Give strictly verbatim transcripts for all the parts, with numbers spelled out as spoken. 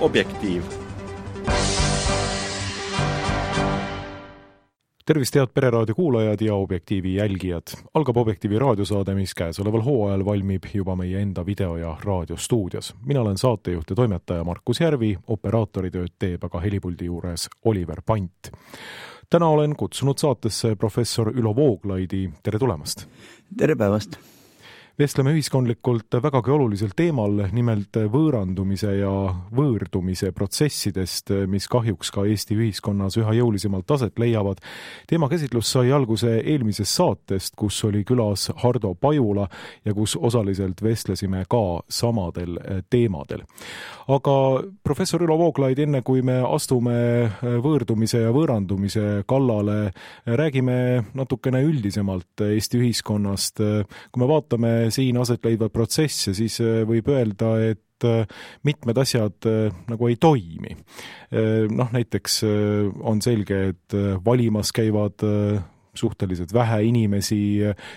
Objektiiv. Tervist head Pereraadio kuulajad ja Objektiivi jälgijad. Algab Objektiivi raadiosaade, mis käesoleval hooajal valmib juba meie enda video- ja raadiostuudios. Mina olen saatejuht ja toimetaja Markus Järvi, operaatoritööd teeb aga helipuldi juures Oliver Pant. Täna olen kutsunud saatesse professor Ülo Vooglaidi. Tere tulemast! Tere päevast! Vestleme ühiskondlikult vägagi olulisel teemal, nimelt võõrandumise ja võõrdumise protsessidest, mis kahjuks ka Eesti ühiskonnas üha jõulisemalt taset leiavad. Teema käsitlus sai alguse eelmisest saatest, kus oli külas Hardo Pajula ja kus osaliselt vestlesime ka samadel teemadel. Aga professor Ülo Vooglaid, enne kui me astume võõrdumise ja võõrandumise kallale, räägime natukene üldisemalt Eesti ühiskonnast. Kui me vaatame siin aset leidvad protsesse, siis võib öelda, et mitmed asjad nagu ei toimi. Noh, näiteks on selge, et valimas käivad suhteliselt vähe inimesi,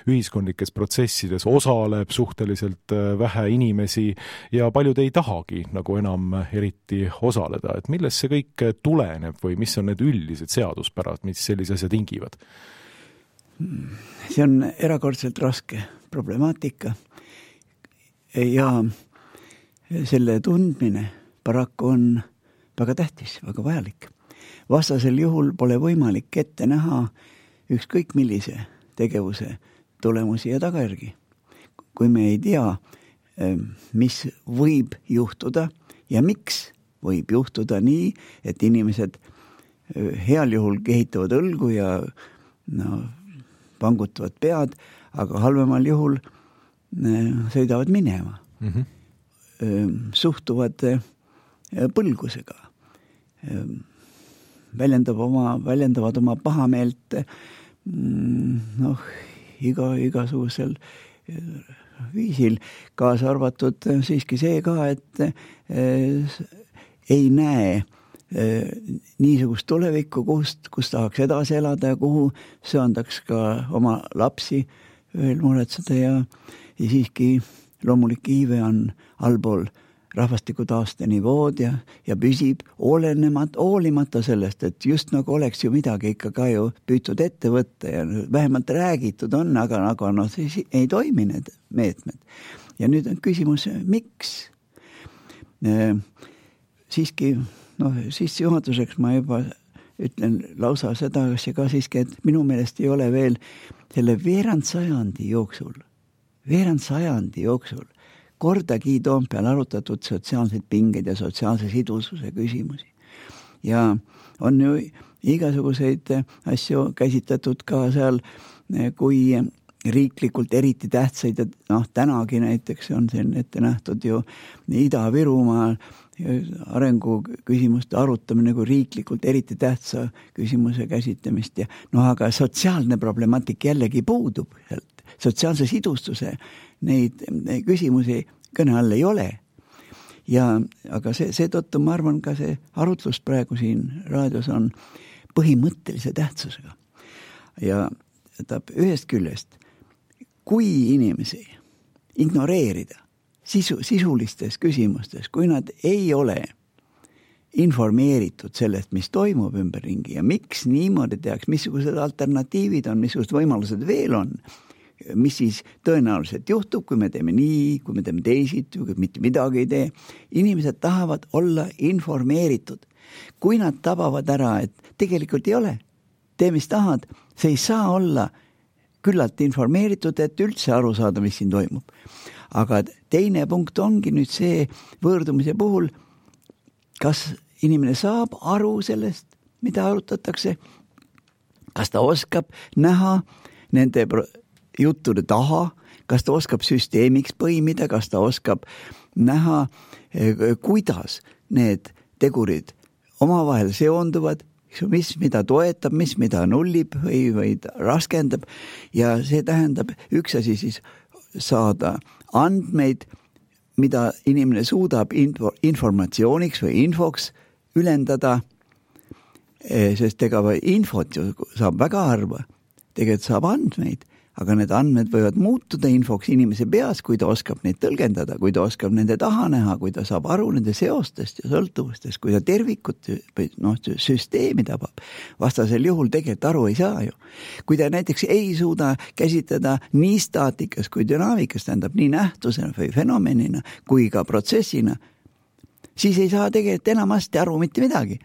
ühiskondlikes protsessides osaleb suhteliselt vähe inimesi ja paljud ei tahagi nagu enam eriti osaleda. Et millest see kõik tuleneb või mis on need üldised seaduspärad, mis sellise asja tingivad? See on erakordselt raske problemaatika ja selle tundmine paraku on väga tähtis, väga vajalik. Vastasel juhul pole võimalik ette näha ükskõik millise tegevuse tulemusi ja tagajärgi. Kui me ei tea, mis võib juhtuda ja miks võib juhtuda nii, et inimesed heal juhul kehitavad õlgu ja no, pangutavad pead, aga halvemal juhul sõidavad minema. Mm-hmm. Suhtuvad põlgusega. Väljendab oma, väljendavad oma pahameelt noh, iga, igasugusel viisil, kaasa arvatud siiski see ka, et ei näe niisugust tulevikku, kust, kus tahaks edasi elada ja kuhu söandaks ka oma lapsi veel muretseda ja, ja siiski loomulik iive on allpool rahvastiku taaste nivood ja, ja püsib olenemat, hoolimata sellest, et just nagu oleks ju midagi ikka ka ju püütud ette võtta ja vähemalt räägitud on, aga nagu no, siis ei toimi need meetmed. Ja nüüd on küsimus, miks? E, siiski noh, siis juhatuseks ma juba ütlen lausa seda, kas ka siiski, et minu meelest ei ole veel selle veerand sajandi jooksul, veerand sajandi jooksul kordagi Toompeal arutatud sotsiaalseid pingeid ja sotsiaalse sidususe küsimusi. Ja on ju igasuguseid asju käsitletud ka seal, kui riiklikult eriti tähtsaid, et noh, tänagi näiteks on siin ette nähtud ju Ida-Virumaal arengu küsimuste arutamine kui riiklikult eriti tähtsa küsimuse käsitlemist ja noh, aga sotsiaalne problemaatik jällegi puudub. Sotsiaalse sidustuse neid, neid küsimusi kõne all ei ole. Ja, aga see, seetõttu ma arvan ka see arutlus praegu siin raadios on põhimõttelise tähtsusega. Ja tähendab, ühest küljest, kui inimesi ignoreerida sisu, sisulistes küsimustes, kui nad ei ole informeeritud sellest, mis toimub ümberringi ja miks niimoodi tehakse, missugused alternatiivid on, missugused võimalused veel on, mis siis tõenäoliselt juhtub, kui me teeme nii, kui me teeme teisid, kui mitte midagi ei tee. Inimesed tahavad olla informeeritud. Kui nad tabavad ära, et tegelikult ei ole, tee mis tahad, see ei saa olla küllalt informeeritud, et üldse aru saada, mis siin toimub. Aga teine punkt ongi nüüd see võõrdumise puhul, kas inimene saab aru sellest, mida arutatakse, kas ta oskab näha nende juttude taha, kas ta oskab süsteemiks põimida, kas ta oskab näha, kuidas need tegurid omavahel seonduvad, mis mida toetab, mis mida nullib või, või raskendab ja see tähendab üks asi siis saada andmeid, mida inimene suudab info, informatsiooniks või infoks ülendada, sest ega infot ju saab väga harva, tegelikult saab andmeid, aga need andmed võivad muutuda infoks inimese peas, kui ta oskab neid tõlgendada, kui ta oskab nende taha näha, kui ta saab aru nende seostest ja sõltuvustest, kui ta tervikut või noh, süsteemi tabab. Vastasel juhul tegelikult aru ei saa ju. Kui ta näiteks ei suuda käsitleda nii staatikas kui dünaamikas, tähendab nii nähtusena või fenomenina kui ka protsessina, siis ei saa tegelikult enamasti aru mitte midagi.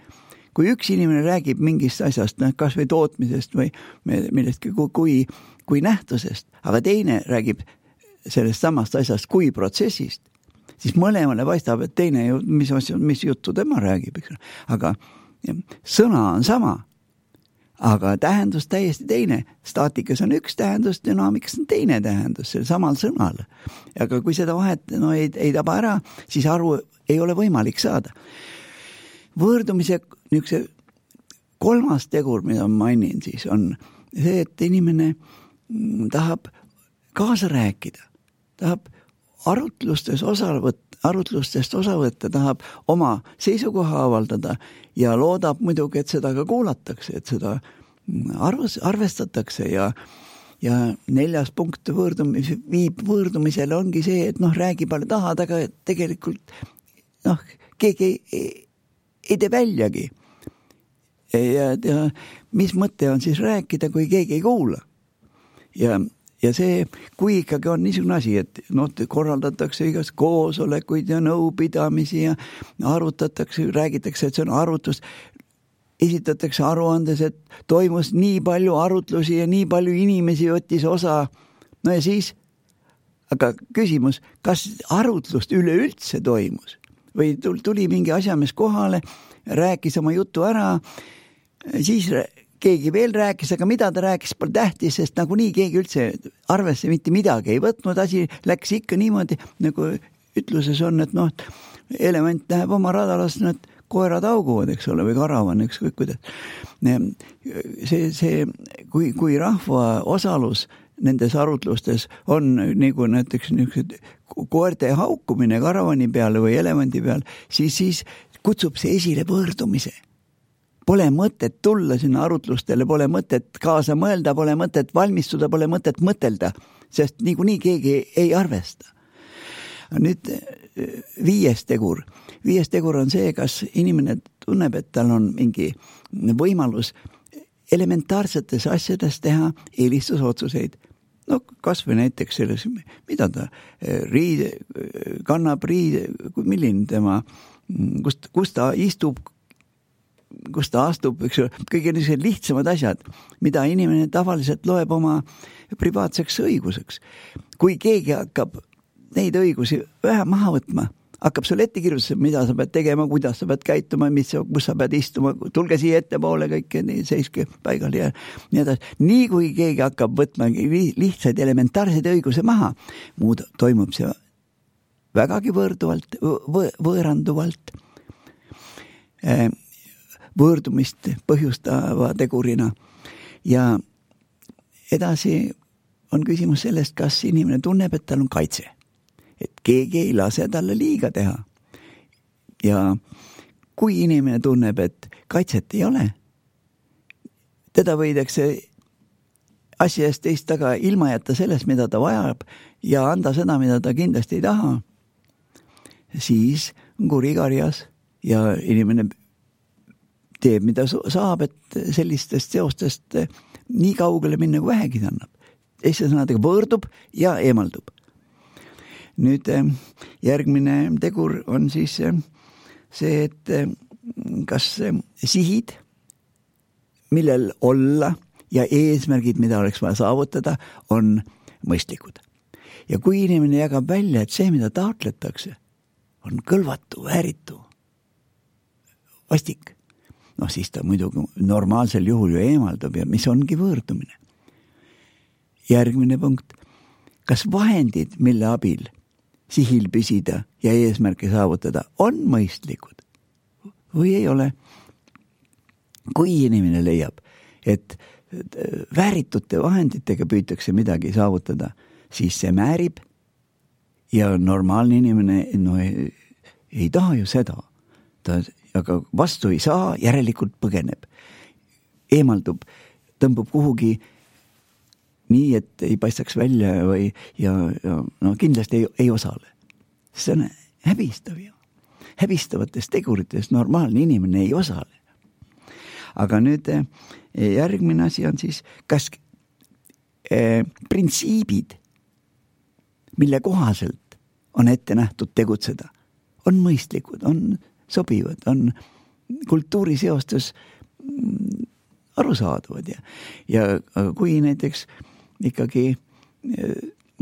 Kui üks inimene räägib mingist asjast, kas või tootmisest või millestki kui, kui nähtusest, aga teine räägib sellest samast asjast kui protsessist, siis mõlemale paistab, et teine, mis, mis juttu tema räägib, eks? Aga sõna on sama, aga tähendus täiesti teine. Staatikas on üks tähendus, dünaamikas on teine tähendus, sel samal sõnal. Aga kui seda vahet no, ei, ei taba ära, siis aru ei ole võimalik saada. Võõrdumise niisuguse kolmas tegur, mida ma mainin, siis on see, et inimene tahab kaasa rääkida, tahab arutlustes osa võtta, arutlustest osa võtta, tahab oma seisukoha avaldada ja loodab muidugi, et seda ka kuulatakse, et seda arvus, arvestatakse ja, ja neljas punkt võõrdumis, viib võõrdumisele ongi see, et noh, räägi palju tahad, aga tegelikult noh, keegi ei, ei, ei tee väljagi. Ja, ja mis mõte on siis rääkida, kui keegi ei kuula? Ja, ja see, kui ikkagi on niisugune asi, et no, korraldatakse igast koosolekuid ja nõupidamisi ja arutatakse, räägitakse, et see on arutlus, esitatakse aruandes, et toimus nii palju arutlusi ja nii palju inimesi võttis osa. No ja siis, aga küsimus, kas arutlust üleüldse toimus? Või tuli mingi asjamees kohale, rääkis oma jutu ära, siis keegi veel rääkis, aga mida ta rääkis, pole tähtis, sest nagu nii keegi üldse arvesse mitte midagi ei võtnud, asi läks ikka niimoodi, nagu ütluses on, et noh, element läheb oma radalas, need koerad auguvad, eks ole, või karavan, ükskõik kuidas. See, see, kui, kui rahva osalus nendes arutlustes on nagu näiteks niisugused koerte haukumine karavani peale või elemendi peal, siis, siis kutsub see esile võõrdumise. Pole mõtet tulla sinna arutlustele, pole mõtet kaasa mõelda, pole mõtet valmistuda, pole mõtet mõtelda, sest niikuinii keegi ei arvesta. Nüüd viies tegur. Viies tegur on see, kas inimene tunneb, et tal on mingi võimalus elementaarsetes asjades teha eelistusotsuseid. No kas või näiteks selles, mida ta riide, kannab riide, milline tema, kust, kust ta istub, kus ta astub, eks ole, kõige niisugused lihtsamad asjad, mida inimene tavaliselt loeb oma privaatseks õiguseks. Kui keegi hakkab neid õigusi vähe maha võtma, hakkab sul ette kirjutada, mida sa pead tegema, kuidas sa pead käituma, mis, kus sa pead istuma, tulge siia ettepoole kõike, seiske paigal ja nii edasi. Nii kui keegi hakkab võtma lihtsaid elementaarseid õiguse maha, muud toimub see vägagi võõrduvalt, võõranduvalt, võõrdumist põhjustava tegurina. Ja edasi on küsimus sellest, kas inimene tunneb, et tal on kaitse. Et keegi ei lase talle liiga teha. Ja kui inimene tunneb, et kaitset ei ole, teda võidakse asja eest teist taga ilma jätta sellest, mida ta vajab ja anda seda, mida ta kindlasti ei taha, siis on kuri karjas ja inimene teeb, mida saab, et sellistest seostest nii kaugele minna, kui vähegi ta annab. Eesti sõnadega võõrdub ja eemaldub. Nüüd järgmine tegur on siis see, et kas sihid, millel olla ja eesmärgid, mida oleks vaja saavutada, on mõistlikud. Ja kui inimene jagab välja, et see, mida taotletakse, on kõlvatu, vääritu, vastik, noh siis ta muidugi normaalsel juhul ju eemaldab ja mis ongi võõrdumine. Järgmine punkt, kas vahendid, mille abil sihil püsida ja eesmärke saavutada, on mõistlikud või ei ole? Kui inimene leiab, et vääritute vahenditega püütakse midagi saavutada, siis see määrib ja normaalne inimene no, ei, ei taha ju seda. Ta, aga vastu ei saa, järelikult põgeneb. Eemaldub, tõmbub kuhugi nii, et ei paistaks välja või, ja, ja no kindlasti ei, ei osale. See on häbistav ju. Häbistavatest teguritest normaalne inimene ei osale. Aga nüüd järgmine asi on siis, kas eh, printsiibid, mille kohaselt on ette nähtud tegutseda, on mõistlikud, on sobivad, on kultuuriseostus arusaadavad ja, ja kui näiteks ikkagi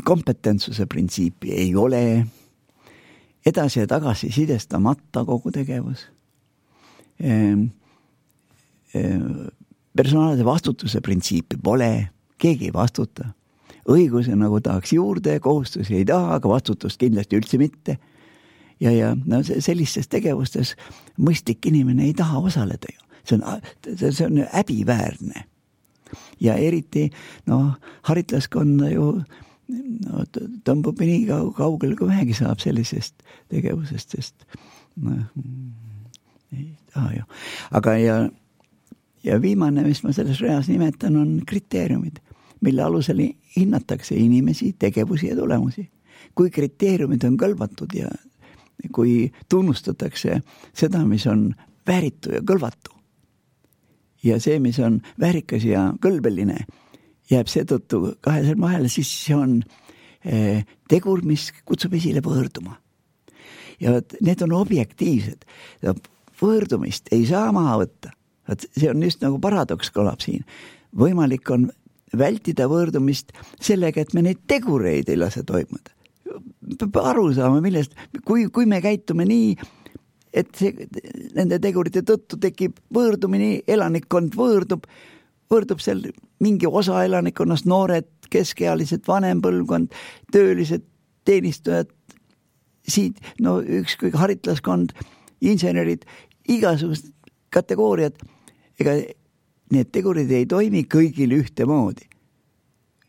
kompetentsuse printsiipi ei ole, edasi ja tagasi sidestamata kogu tegevus, personaalse vastutuse printsiipi pole, keegi ei vastuta, õiguse nagu tahaks juurde, kohustusi ei taha, aga vastutust kindlasti üldse mitte ja, ja no, sellistes tegevustes mõistlik inimene ei taha osaleda ju. See on, see on häbiväärne. Ja eriti, noh, haritlaskonda ju no, tõmbub nii kaugel, kui vähegi saab sellisest tegevusest, sest no, ei taha ju. Aga ja, ja viimane, mis ma selles reas nimetan, on kriteeriumid, mille alusel hinnatakse inimesi, tegevusi ja tulemusi. Kui kriteeriumid on kõlvatud ja kui tunnustatakse seda, mis on vääritu ja kõlvatu, ja see, mis on väärikas ja kõlbeline, jääb seetõttu kahe sõrme vahele, siis see on eh, tegur, mis kutsub esile võõrduma. Ja need on objektiivsed. Võõrdumist ei saa maha võtta. See on just nagu paradoks kõlab siin. Võimalik on vältida võõrdumist sellega, et me neid tegureid ei lase toimuda. Peab aru saama, millest, kui, kui me käitume nii, et see, nende tegurite tõttu tekib võõrdumine, elanikkond võõrdub, võõrdub seal mingi osa elanikkonnast, noored, keskealised, vanem põlvkond, töölised, teenistujad, siit, no ükskõik haritlaskond, insenerid, igasugused kategooriad, ega need tegurid ei toimi kõigil ühtemoodi.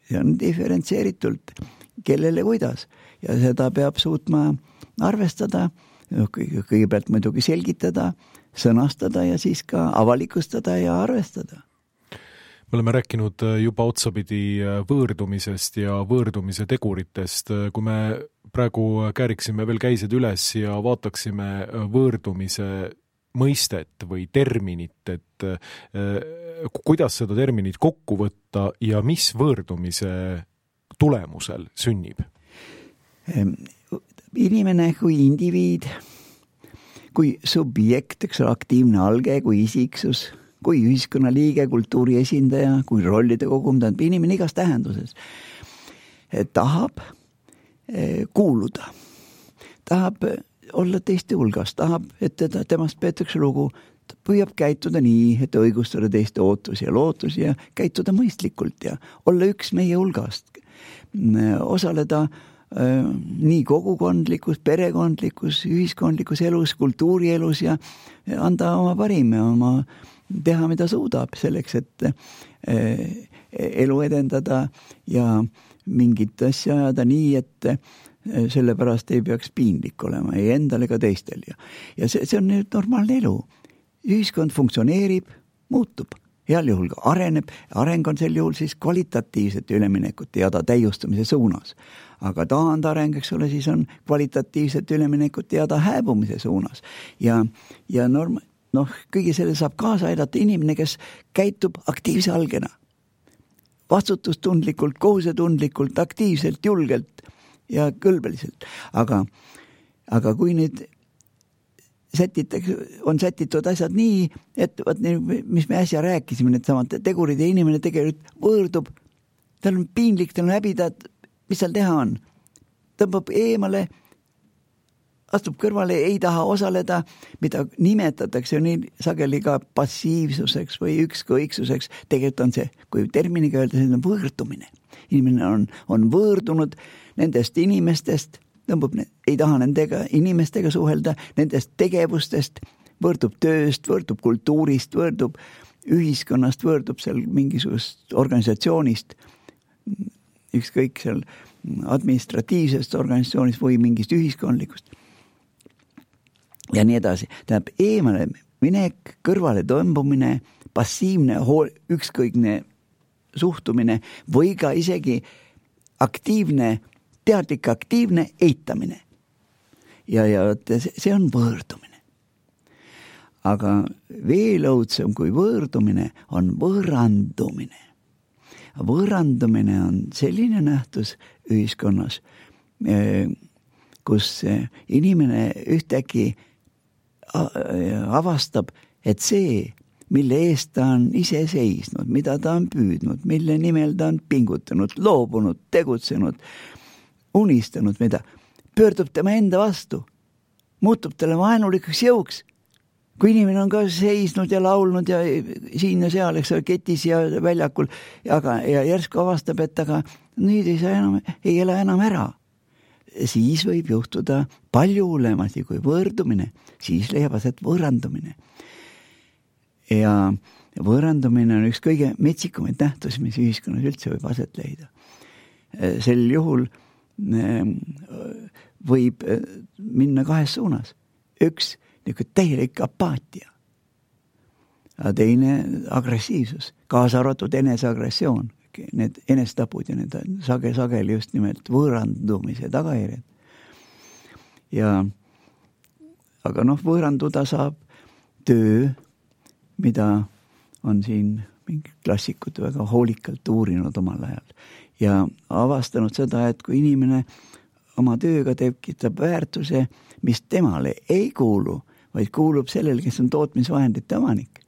See on diferentseeritult, kellele kuidas, ja seda peab suutma arvestada, kõigepealt muidugi selgitada, sõnastada ja siis ka avalikustada ja arvestada. Me oleme rääkinud juba otsapidi võõrdumisest ja võõrdumise teguritest. Kui me praegu kääriksime veel käised üles ja vaataksime võõrdumise mõistet või terminit, et kuidas seda terminit kokku võtta ja mis võõrdumise tulemusel sünnib? Inimene kui indiviid, kui subjekt, eks ole, aktiivne alge, kui isiksus, kui ühiskonnaliige, kultuuri esindaja, kui rollide kogum, tähendab inimene igas tähenduses, tahab kuuluda, tahab olla teiste hulgas, tahab, et teda, temast peetakse lugu, püüab käituda nii, et õigustada teiste ootusi ja lootusi ja käituda mõistlikult ja olla üks meie hulgast, osaleda nii kogukondlikus, perekondlikus, ühiskondlikus elus, kultuurielus ja anda oma parim ja oma teha, mida suudab selleks, et elu edendada ja mingit asja ajada nii, et sellepärast ei peaks piinlik olema ei endal ega teistel. Ja, ja see, see on nüüd normaalne elu. Ühiskond funktsioneerib, muutub. Heal juhul ka areneb, areng on sel juhul siis kvalitatiivsete üleminekut teada täiustumise suunas. Aga taandareng, eks ole, siis on kvalitatiivset üleminekut teada hääbumise suunas. Ja, ja norm, noh, kõige selle saab kaasa aidata inimene, kes käitub aktiivse algena. Vastutustundlikult, kohusetundlikult, aktiivselt, julgelt ja kõlbeliselt. Aga, aga kui nüüd sätitakse, on sätitud asjad nii, et võt, mis me äsja rääkisime, need samad tegurid ja inimene tegelikult võõrdub, tal on piinlik, tal on häbida, mis seal teha on? Tõmbab eemale, astub kõrvale, ei taha osaleda, mida nimetatakse nii sageli ka passiivsuseks või ükskõiksuseks. Tegelikult on see, kui terminiga öelda, see on võõrdumine. Inimene on, on võõrdunud nendest inimestest, tõmbab, ei taha nendega inimestega suhelda, nendest tegevustest, võõrdub tööst, võõrdub kultuurist, võõrdub ühiskonnast, võõrdub seal mingisugust organisatsioonist, ükskõik seal administratiivsest organisatsioonist või mingist ühiskondlikust. Ja nii edasi. Tähendab, eemale minek, kõrvale tõmbumine, passiivne, hool, ükskõikne suhtumine või ka isegi aktiivne, teadlik aktiivne eitamine. Ja, ja see on võõrdumine. Aga veel õudsem kui võõrdumine on võõrandumine. Võõrandumine on selline nähtus ühiskonnas, kus inimene ühtäkki avastab, et see, mille eest ta on ise seisnud, mida ta on püüdnud, mille nimel ta on pingutanud, loobunud, tegutsenud, unistanud, mida pöördub tema enda vastu, muutub talle vaenulikuks jõuks. Kui inimene on ka seisnud ja laulnud ja siin ja seal, eks ole, ketis ja väljakul, aga, ja järsku avastab, et aga nüüd ei saa enam, ei ela enam ära. Siis võib juhtuda palju hullemasti kui võõrdumine, siis leiab aset võõrandumine. Ja võõrandumine on üks kõige metsikumaid nähtusi, mis ühiskonnas üldse võib aset leida. Sel juhul võib minna kahes suunas. Üks niisugune täielik apaatia. Ja teine agressiivsus, kaasa arvatud eneseagressioon. Need enestabud ja need sage, sageli just nimelt võõrandumise tagajärjed. Ja, aga noh, võõranduda saab töö, mida on siin mingi klassikud väga hoolikalt uurinud omal ajal ja avastanud seda, et kui inimene oma tööga tekitab väärtuse, mis temale ei kuulu, vaid kuulub sellele, kes on tootmisvahendite omanik,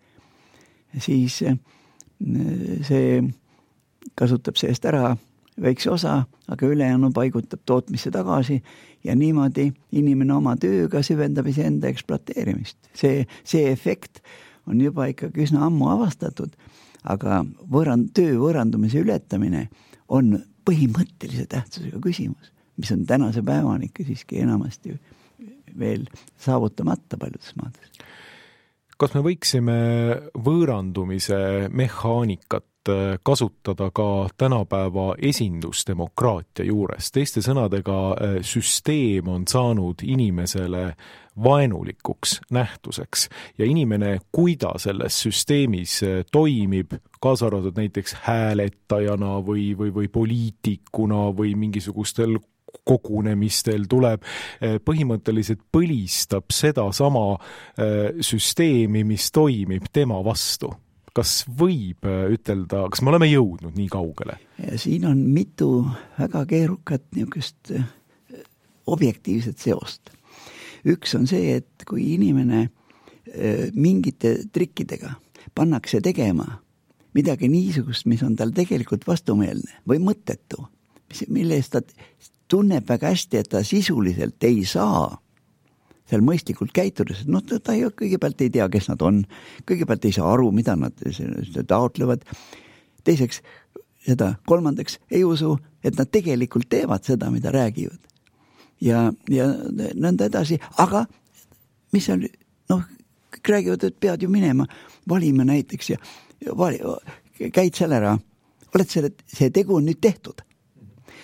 siis see kasutab seest ära väikse osa, aga ülejäänu paigutab tootmisse tagasi ja niimoodi inimene oma tööga süvendab iseenda ekspluateerimist. See, see efekt on juba ikkagi üsna ammu avastatud, aga võõrand, töö võõrandumise ületamine on põhimõttelise tähtsusega küsimus, mis on tänase päevani ikka siiski enamasti veel saavutamata paljudes maades. Kas me võiksime võõrandumise mehaanikat kasutada ka tänapäeva esindusdemokraatia juures? Teiste sõnadega, süsteem on saanud inimesele vaenulikuks nähtuseks ja inimene, kui ta selles süsteemis toimib, kaasa arvatud näiteks hääletajana või, või, või poliitikuna või mingisugustel kogunemistel tuleb, põhimõtteliselt põlistab seda sama süsteemi, mis toimib tema vastu. Kas võib ütelda, kas me oleme jõudnud nii kaugele? Ja siin on mitu väga keerukat niisugust objektiivset seost. Üks on see, et kui inimene mingite trikkidega pannakse tegema midagi niisugust, mis on tal tegelikult vastumeelne või mõttetu, mille eest ta tunneb väga hästi, et ta sisuliselt ei saa seal mõistlikult käitudes, no ta, ta ei, kõigepealt ei tea, kes nad on, kõigepealt ei saa aru, mida nad taotlevad, teiseks, seda kolmandaks ei usu, et nad tegelikult teevad seda, mida räägivad. Ja, ja nõnda edasi, aga mis seal, noh, kõik räägivad, et pead ju minema, valima näiteks ja vali, käid seal ära, oled selle, see tegu on nüüd tehtud.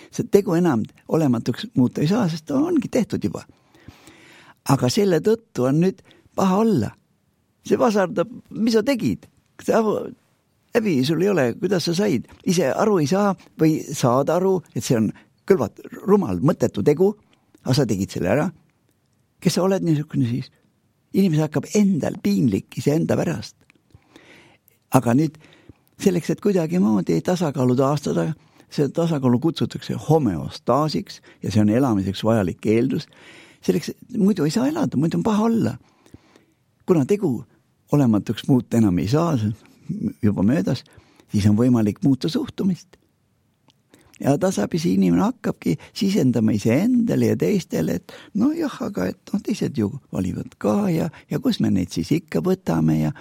See tegu enam olematuks muuta ei saa, sest ta ongi tehtud juba. Aga selle tõttu on nüüd paha olla. See vasardab, mis sa tegid? Läbi sul ei ole, kuidas sa said? Ise aru ei saa või saad aru, et see on kõlvat rumal, mõttetu tegu, aga sa tegid selle ära. Kes sa oled niisugune siis? Inimese hakkab endal piinlik ise enda pärast. Aga nüüd selleks, et kuidagi moodi tasakaalu taastada, see tasakaalu kutsutakse homeostaasiks ja see on elamiseks vajalik eeldus. Selleks, muidu ei saa elada, muidu on paha olla. Kuna tegu olematuks muuta enam ei saa, juba möödas, siis on võimalik muuta suhtumist. Ja tasapisi inimene hakkabki sisendama iseendale ja teistele, et no jah, aga et no, teised ju valivad ka ja, ja kus me neid siis ikka võtame ja,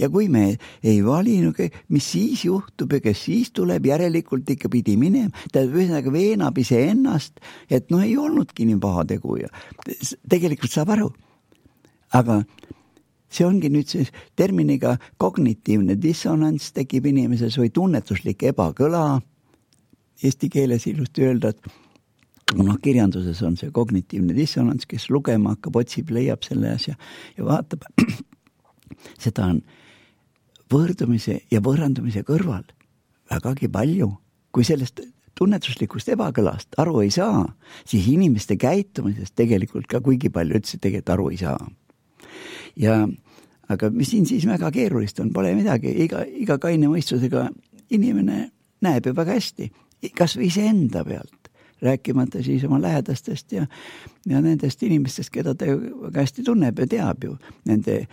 ja kui me ei vali, no, mis siis juhtub ja kes siis tuleb, järelikult ikka pidi minema, ta ühesõnaga veenab ise ennast, et no ei olnudki nii paha tegu ja tegelikult saab aru. Aga see ongi nüüd see terminiga kognitiivne dissonants tekib inimeses või tunnetuslik ebakõla. Eesti keeles ilusti öelda, et no, kirjanduses on see kognitiivne dissonants, kes lugema hakkab, otsib, leiab selle asja ja vaatab. Seda on võõrdumise ja võõrandumise kõrval vägagi palju. Kui sellest tunnetuslikust ebakõlast aru ei saa, siis inimeste käitumisest tegelikult ka kuigi palju üldse tegelikult aru ei saa. Ja, aga mis siin siis väga keerulist on, pole midagi, iga, iga kaine mõistusega inimene näeb ju väga hästi, kas või ise enda pealt, rääkimata siis oma lähedastest ja, ja nendest inimestest, keda ta väga hästi tunneb ja teab ju, nende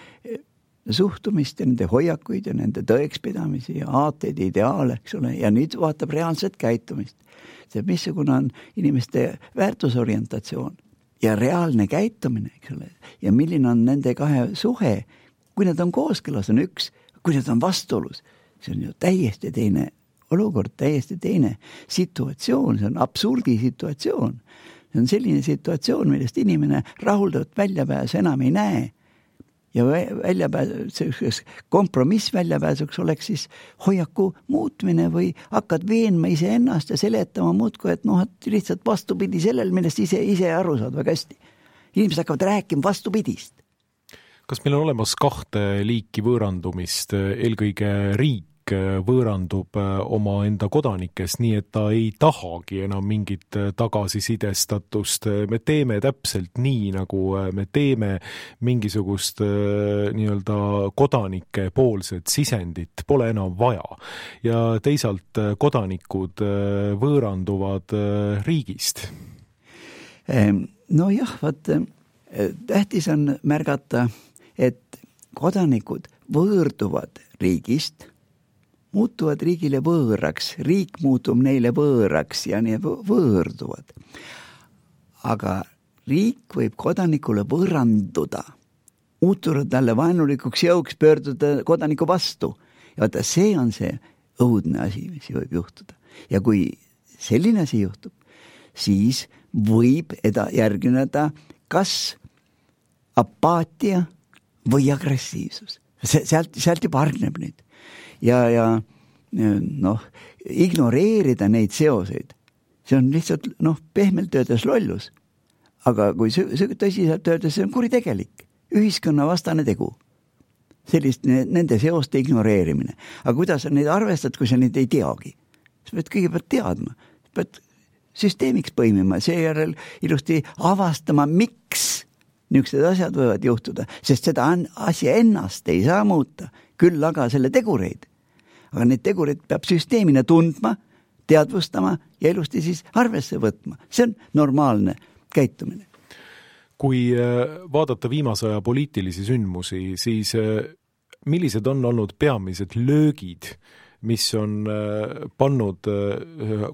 suhtumist ja nende hoiakuid ja nende tõekspidamisi ja aateid, ideaale, eks ole, ja nüüd vaatab reaalset käitumist. See, missugune on inimeste väärtusorientatsioon ja reaalne käitumine, eks ole, ja milline on nende kahe suhe, kui nad on kooskõlas, on üks, kui nad on vastuolus, see on ju täiesti teine olukord, täiesti teine situatsioon, see on absurdi situatsioon. See on selline situatsioon, millest inimene rahuldavat väljapääsu enam ei näe. Ja väljapääsuks, kompromiss väljapääsuks oleks siis hoiaku muutmine või hakkad veenma ise ennast ja seletama muudku, et noh, et lihtsalt vastupidi sellel, millest ise, ise aru saad väga hästi. Inimesed hakkavad rääkima vastupidist. Kas meil on olemas kahte liiki võõrandumist, eelkõige riik võõrandub oma enda kodanikest, nii et ta ei tahagi enam mingit tagasisidestatust. Me teeme täpselt nii, nagu me teeme mingisugust nii-öelda kodanike poolset sisendit, pole enam vaja. Ja teisalt kodanikud võõranduvad riigist. No jah, vaat, tähtis on märgata, et kodanikud võõrduvad riigist, muutuvad riigile võõraks, riik muutub neile võõraks ja nii võõrduvad. Aga riik võib kodanikule võõranduda, muutuda talle vaenulikuks jõuks, pöörduda kodaniku vastu. Ja vaata, see on see õudne asi, mis võib juhtuda. Ja kui selline asi juhtub, siis võib eda järgineda kas apaatia või agressiivsus. Sealt, sealt juba arneb nüüd. Ja, ja noh, ignoreerida neid seoseid, see on lihtsalt noh, pehmelt öeldes lollus. Aga kui tõsiselt öeldes, see on kuritegelik, ühiskonna vastane tegu. Sellist nende seoste ignoreerimine. Aga kuidas sa neid arvestad, kui sa neid ei teagi? Sa pead kõigepealt teadma, sa pead süsteemiks põimima, seejärel ilusti avastama, miks niisugused asjad võivad juhtuda, sest seda asja ennast ei saa muuta, küll aga selle tegureid. Aga need tegurid peab süsteemina tundma, teadvustama ja ilusti siis arvesse võtma. See on normaalne käitumine. Kui vaadata viimase aja poliitilisi sündmusi, siis millised on olnud peamised löögid, mis on pannud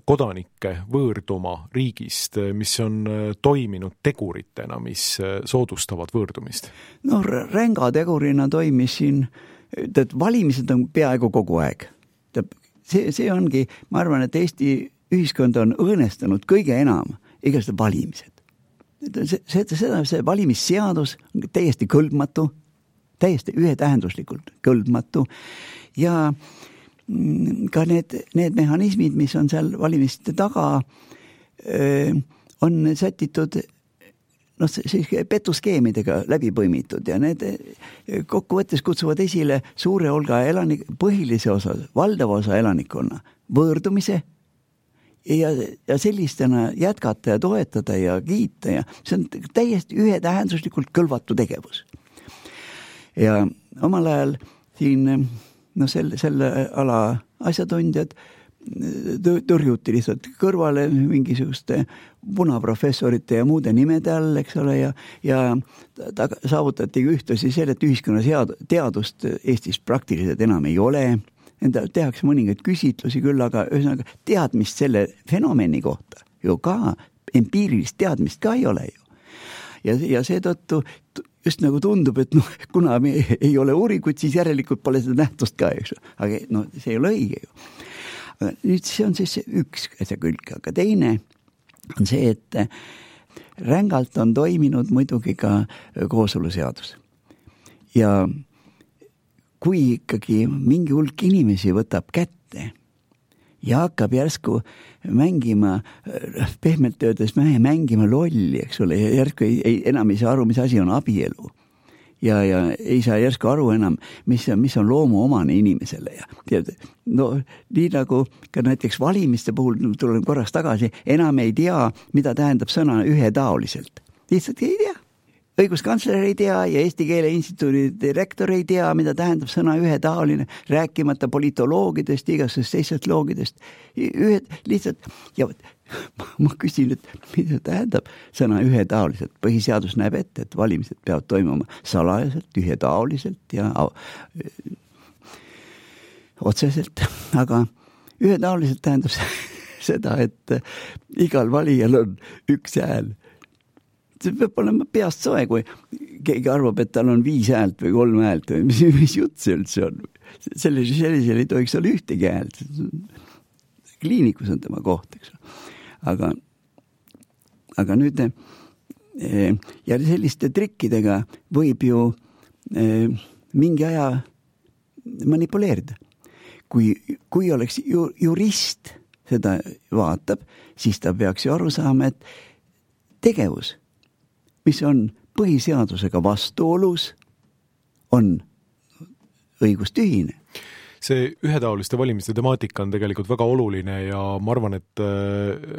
kodanikke võõrduma riigist, mis on toiminud teguritena, mis soodustavad võõrdumist? No ränga tegurina toimis siin, et valimised on peaaegu kogu aeg. See, see ongi, ma arvan, et Eesti ühiskond on õõnestanud kõige enam igasugused valimised. See, see, see, see valimisseadus on täiesti kõlbmatu, täiesti ühetähenduslikult kõlbmatu ja ka need, need mehhanismid, mis on seal valimiste taga, on sätitud noh, siis petuskeemidega läbi põimitud ja need kokkuvõttes kutsuvad esile suure hulga elanik, põhilise osa, valdava osa elanikkonna võõrdumise ja, ja sellistena jätkata ja toetada ja kiita ja see on täiesti ühetähenduslikult kõlvatu tegevus. Ja omal ajal siin no selle, selle ala asjatundjad tõrjuti lihtsalt kõrvale mingisuguste punaprofessorite ja muude nimede all, eks ole, ja, ja ta saavutati ühtlasi selle, et ühiskonna teadust Eestis praktiliselt enam ei ole. Enda tehakse mõningaid küsitlusi küll, aga ühesõnaga teadmist selle fenomeni kohta ju ka, empiirilist teadmist ka ei ole ju. Ja, ja seetõttu just nagu tundub, et noh, kuna me ei ole uuringut, siis järelikult pole seda nähtust ka, eks. Aga no, see ei ole õige ju. Nüüd see on siis üks asja külg, aga teine on see, et rängalt on toiminud muidugi ka kooseluseadus. Ja kui ikkagi mingi hulk inimesi võtab kätte ja hakkab järsku mängima, pehmelt öeldes mängima lolli, eks ole, ja järsku ei, ei, enam ei saa aru, mis asi on abielu. ja, ja ei saa järsku aru enam, mis on, mis on loomuomane inimesele ja tead, no nii nagu ka näiteks valimiste puhul, tulen korraks tagasi, enam ei tea, mida tähendab sõna ühetaoliselt. Lihtsalt ei tea. Õiguskantsler ei tea ja Eesti Keele Instituudi direktor ei tea, mida tähendab sõna ühetaoline, rääkimata politoloogidest, igasugustest teistest loogidest. Ühed lihtsalt, ja ma küsin, et mida tähendab sõna ühetaoliselt. Põhiseadus näeb ette, et valimised peavad toimuma salajaselt, ühetaoliselt ja otseselt, aga ühetaoliselt tähendab seda, et igal valijal on üks hääl. See peab olema peast soe, kui keegi arvab, et tal on viis häält või kolm häält või mis, mis jutt see üldse on. Sellisel, sellisel ei tohiks olla ühtegi häält. Kliinikus on tema koht, eks. Aga, aga nüüd ja selliste trikkidega võib ju mingi aja manipuleerida. Kui, kui oleks ju, jurist seda vaatab, siis ta peaks ju aru saama, et tegevus, mis on põhiseadusega vastuolus, on õigustühine. See ühetaoliste valimiste temaatika on tegelikult väga oluline ja ma arvan, et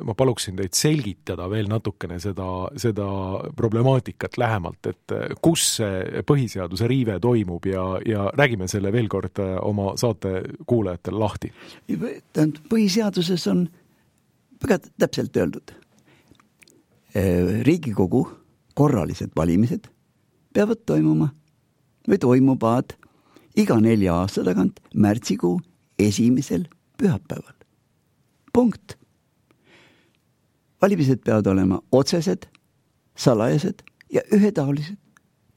ma paluksin teid selgitada veel natukene seda, seda problemaatikat lähemalt, et kus see põhiseaduse riive toimub ja, ja räägime selle veel kord oma saate kuulajatele lahti. Põhiseaduses on väga täpselt öeldud. Riigikogu korralised valimised peavad toimuma või toimuvad iga nelja aasta tagant märtsikuu esimesel pühapäeval. Punkt. Valimised peavad olema otsesed, salajased ja ühetaolised.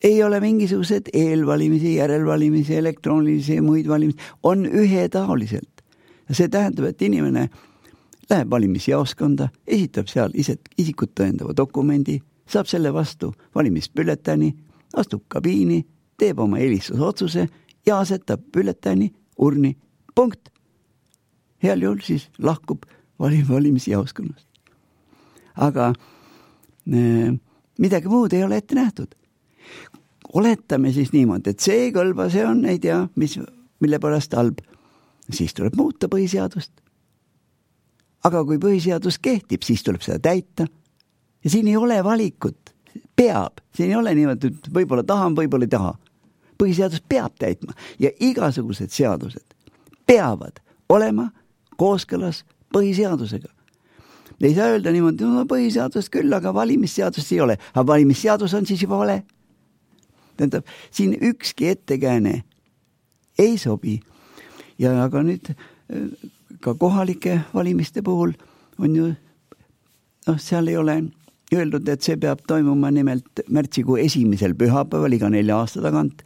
Ei ole mingisugused eelvalimisi, järelvalimisi, elektroonilisi ja muid valimisi. On ühetaoliselt. Ja see tähendab, et inimene läheb valimisjaoskonda, esitab seal isikut tõendava dokumendi, saab selle vastu valimisbülletääni, astub kabiini, teeb oma eelistusotsuse ja asetab bülletääni urni. Punkt. Heal juhul siis lahkub valimisjaoskonnast. Aga äh, midagi muud ei ole ette nähtud. Oletame siis niimoodi, et see ei kõlba, see on, ei tea, mis, mille pärast halb. Siis tuleb muuta põhiseadust. Aga kui põhiseadus kehtib, siis tuleb seda täita. Ja siin ei ole valikut. Peab. Siin ei ole niimoodi, et võib-olla tahan, võib-olla ei taha. Põhiseadus peab täitma. Ja igasugused seadused peavad olema kooskõlas põhiseadusega. Ei saa öelda niimoodi, no põhiseadus küll, aga valimisseadust ei ole. Aga valimisseadus on siis juba vale. Tähendab, siin ükski ettekääne ei sobi. Ja aga nüüd ka kohalike valimiste puhul on ju, noh, seal ei ole öeldud, et see peab toimuma nimelt märtsikuu esimesel pühapäeval iga nelja aasta tagant.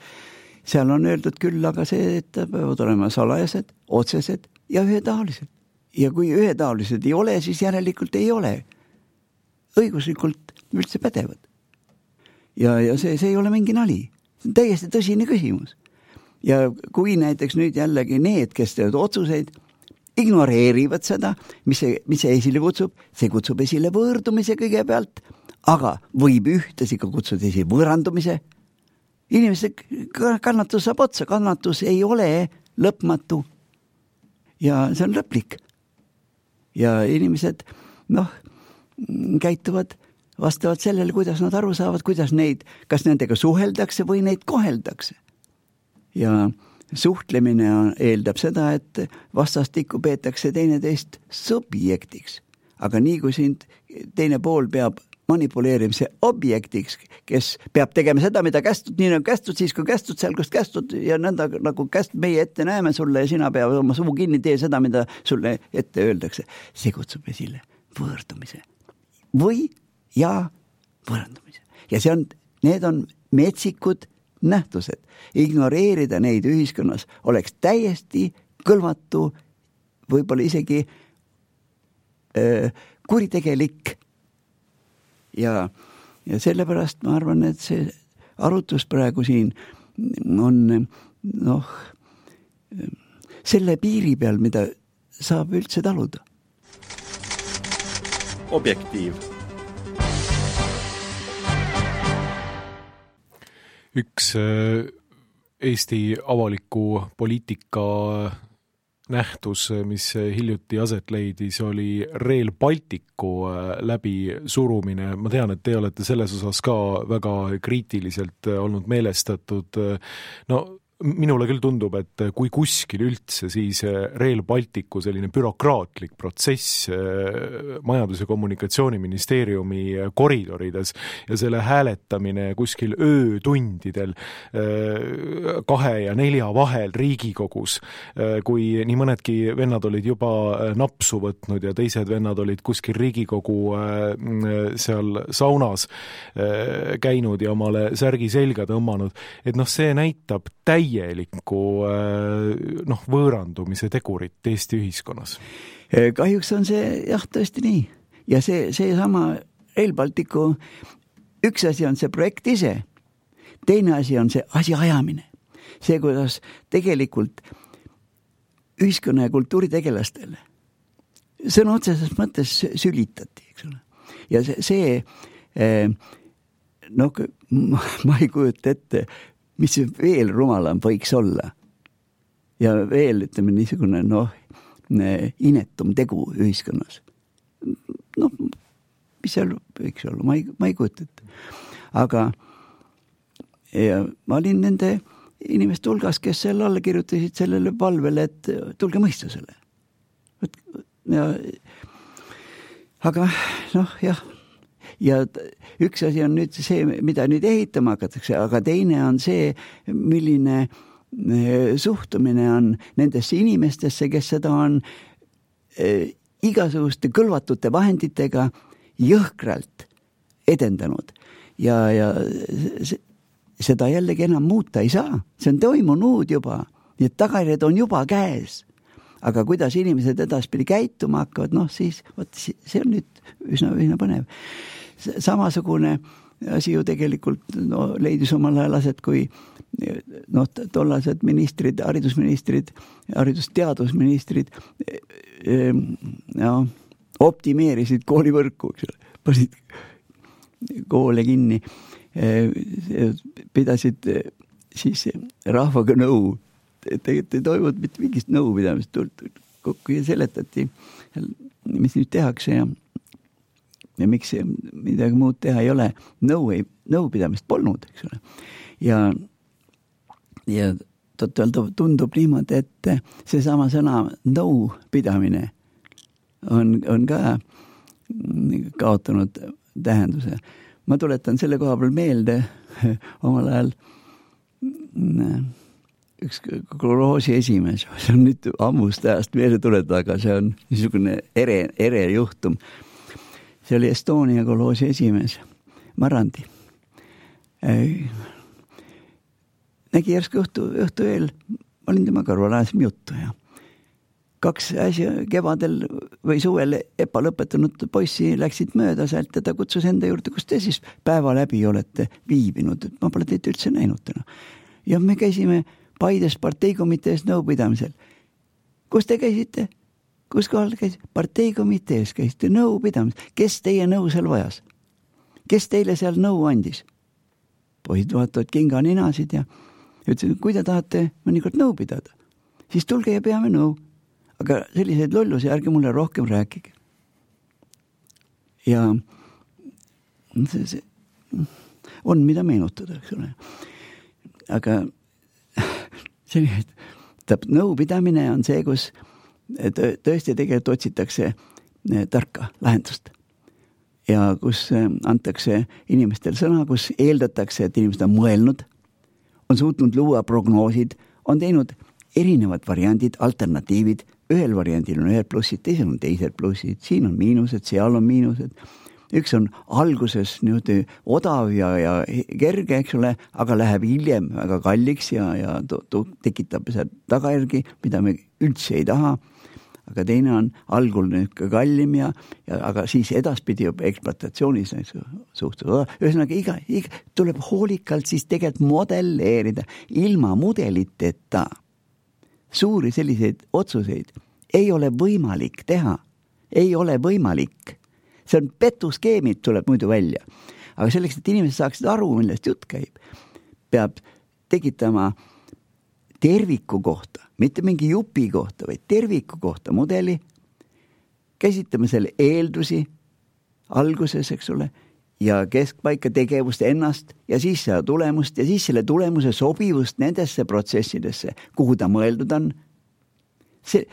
Seal on öeldud küll, aga see, et peavad olema salajased, otsesed ja ühetaolised. Ja kui ühetaolised ei ole, siis järelikult ei ole õiguslikult üldse pädevad. Ja, ja see, see ei ole mingi nali. See on täiesti tõsine küsimus. Ja kui näiteks nüüd jällegi need, kes teevad otsuseid, ignoreerivad seda, mis see, mis see esile kutsub, see kutsub esile võõrdumise kõigepealt, aga võib ühtesi ka kutsuda esile võõrandumise. Inimeste kannatus saab otsa, kannatus ei ole lõpmatu ja see on lõplik. Ja inimesed, noh, käituvad vastavalt sellele, kuidas nad aru saavad, kuidas neid, kas nendega suheldakse või neid koheldakse. Ja suhtlemine eeldab seda, et vastastikku peetakse teineteist subjektiks. Aga nii kui sind teine pool peab manipuleerimise objektiks, kes peab tegema seda, mida kästud, nii nagu kästud, siis kui kästud seal, kus kästud ja nõnda nagu käst meie ette näeme sulle ja sina peab oma suu kinni tee seda, mida sulle ette öeldakse. See kutsub esile võõrdumise või ja võõrandumise. Ja see on, need on metsikud nähtused. Ignoreerida neid ühiskonnas oleks täiesti kõlvatu, võib-olla isegi öö, kuritegelik. Ja, ja sellepärast ma arvan, et see arutus praegu siin on noh, selle piiri peal, mida saab üldse taluda. Objektiiv. üks Eesti avaliku poliitika nähtus, mis hiljuti aset leidis, oli Rail Balticu läbi surumine. Ma tean, et te olete selles osas ka väga kriitiliselt olnud meelestatud. No minule küll tundub, et kui kuskil üldse, siis Rail Balticu selline bürokraatlik protsess Majandus- ja Kommunikatsiooniministeeriumi koridorides ja selle hääletamine kuskil öötundidel kahe ja nelja vahel Riigikogus, kui nii mõnedki vennad olid juba napsu võtnud ja teised vennad olid kuskil Riigikogu seal saunas käinud ja omale särgi selga tõmmanud, et noh, see näitab täi täielikku noh, võõrandumise tegurit Eesti ühiskonnas. Kahjuks on see jah tõesti nii. Ja see, see sama Rail Balticu, üks asi on see projekt ise, teine asi on see asi ajamine. See, kuidas tegelikult ühiskonna ja kultuuritegelastele sõna otseses mõttes sülitati, eks ole. Ja see, see no, ma ei kujuta ette, mis veel rumalam võiks olla. Ja veel, ütleme, niisugune, noh, inetum tegu ühiskonnas. Noh, mis seal võiks olla, ma ei, ma ei kujuta ette. Aga ja ma olin nende inimeste hulgas, kes seal alla kirjutasid sellele palvele, et tulge mõistusele. Ja, aga noh, jah, ja üks asi on nüüd see, mida nüüd ehitama hakatakse, aga teine on see, milline suhtumine on nendesse inimestesse, kes seda on igasuguste kõlvatute vahenditega jõhkralt edendanud. Ja, ja seda jällegi enam muuta ei saa. See on toimunud juba. Need tagajärjed on juba käes. Aga kuidas inimesed edaspidi käituma hakkavad, noh siis, võt, see on nüüd üsna, üsna põnev. Samasugune asi ju tegelikult no, leidis omal ajal aset, kui no, tollased ministrid, haridusministrid, haridusteadusministrid no, optimeerisid koolivõrku, eks ole, pasid koole kinni, pidasid siis rahvaga nõu. Tegelikult ei toimunud mitte mingist nõupidamist kokku ja seletati, mis nüüd tehakse ja ja miks midagi muud teha ei ole, nõu, ei, nõupidamist polnud, eks ole. Ja, ja tõtt-öelda tundub niimoodi, et seesama sõna nõupidamine on, on ka kaotanud tähenduse. Ma tuletan selle koha peal meelde omal ajal üks kolhoosi esimees, see on nüüd ammust ajast meelde tuletada, aga see on niisugune ere, ere juhtum. See oli Estonia kolhoosi esimees, Marandi. Nägi järsku õhtu, õhtu eel, ma olin tema kõrval, ajasime juttu ja kaks asja kevadel või suvel EPA lõpetanud poissi läksid mööda sealt ja ta kutsus enda juurde, kus te siis päeva läbi olete viibinud, et ma pole teid üldse näinud täna. Ja me käisime Paides parteikomitees nõupidamisel. Kus te käisite? Kus kohal käis? Parteikomitees käisite nõupidamis. Kes teie nõu seal vajas? Kes teile seal nõu andis? Poisid vaatavad kinga ninasid ja ütlesid, kui te tahate mõnikord nõu pidada, siis tulge ja peame nõu. Aga selliseid lollusi ärge mulle rohkem rääkige. Ja see, see on mida meenutada, eks ole. Aga selline, täp, nõupidamine on see, kus tõesti tegelikult otsitakse tarka lahendust. Ja kus antakse inimestel sõna, kus eeldatakse, et inimesed on mõelnud, on suutnud luua prognoosid, on teinud erinevad variandid, alternatiivid, ühel variandil on ühed plussid, teisel on teised plussid, siin on miinused, seal on miinused. Üks on alguses niimoodi odav ja, ja kerge, eks ole, aga läheb hiljem väga kalliks ja, ja to, to, tekitab seal tagajärgi, mida me üldse ei taha. Aga teine on algul kallim ja, ja aga siis edaspidi juba ekspluatatsioonis suhtes. Ühesõnaga iga, iga tuleb hoolikalt siis tegelikult modelleerida ilma mudeliteta. Suuri selliseid otsuseid ei ole võimalik teha. Ei ole võimalik. See on petuskeemid tuleb muidu välja. Aga selleks, et inimesed saaksid aru, millest jutt käib, peab tekitama terviku kohta, mitte mingi jupi kohta, vaid terviku kohta mudeli, käsitleme selle eeldusi alguses, eks ole, ja keskpaika tegevust ennast ja siis seda tulemust ja siis selle tulemuse sobivust nendesse protsessidesse, kuhu ta mõeldud on. See,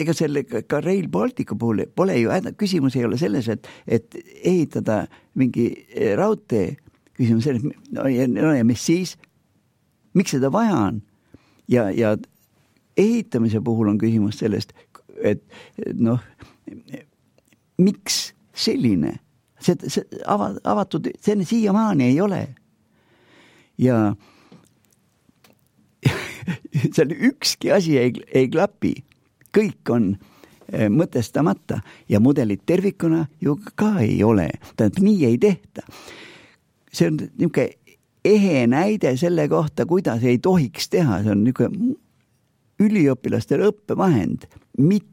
ega selle ka Rail Balticu puhul pole ju, küsimus ei ole selles, et, et ehitada mingi raudtee, küsimus selles, no ja, no ja mis siis, miks seda vaja on? Ja, ja ehitamise puhul on küsimus sellest, et noh, miks selline? See, see avatud, see siiamaani ei ole. Ja seal ükski asi ei, ei klapi. Kõik on mõtestamata ja mudelid tervikuna ju ka ei ole. Tähendab, nii ei tehta. See on niisugune ehe näide selle kohta, kuidas ei tohiks teha. See on niisugune üliõpilastele õppevahend, mit,